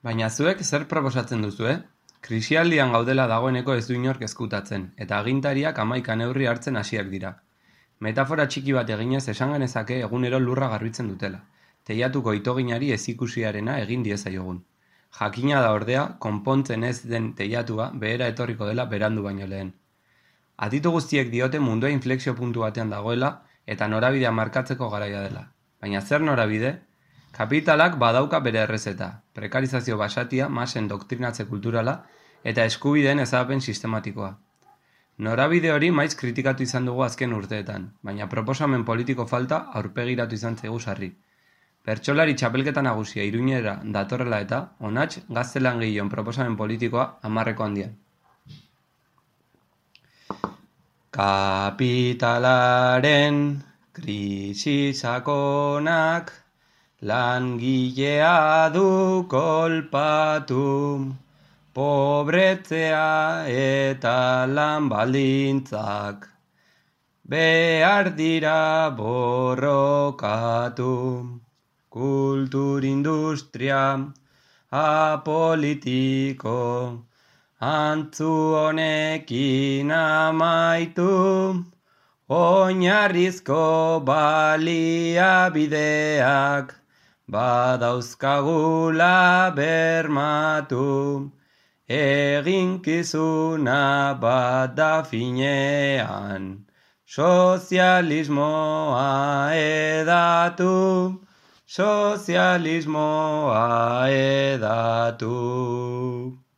Baina zuek zer proposatzen duzue? Krisialdian gaudela dagoeneko ez du inork ezkutatzen, eta agintariak 11 neurri hartzen hasiak dira. Metafora txiki bat eginez esan genezake egunero lurra garbitzen dutela. Teiatuko itoginari ezikusiarena egin diezaiogun. Jakina da ordea, konpontzen ez den teiatua behera etorriko dela berandu baino lehen. Aditu guztiek diote mundua inflexio puntu batean dagoela eta norabidea markatzeko garaia dela. Baina zer norabide? Kapitalak badauka bere errezeta, prekarizazio basatia, masen doktrinatze kulturala eta eskubideen ezabapen sistematikoa. Norabide hori maiz kritikatu izan dugu azken urteetan, baina proposamen politiko falta aurpegiratu izan zaigu sarri. Bertsolari txapelketa nagusia Iruñera datorrela eta, onats gaztelangileon proposamen politikoa 10 handian. Kapitalaren krisi sakonak langilea du kolpatu, pobretzea eta lan baldintzak behar dira borrokatu. Kulturindustria apolitiko antzu honekin amaitu, oinarrizko baliabideak badauzkagula bermatu, eginkizuna bat da finean, sozialismoa edatu, sozialismoa edatu.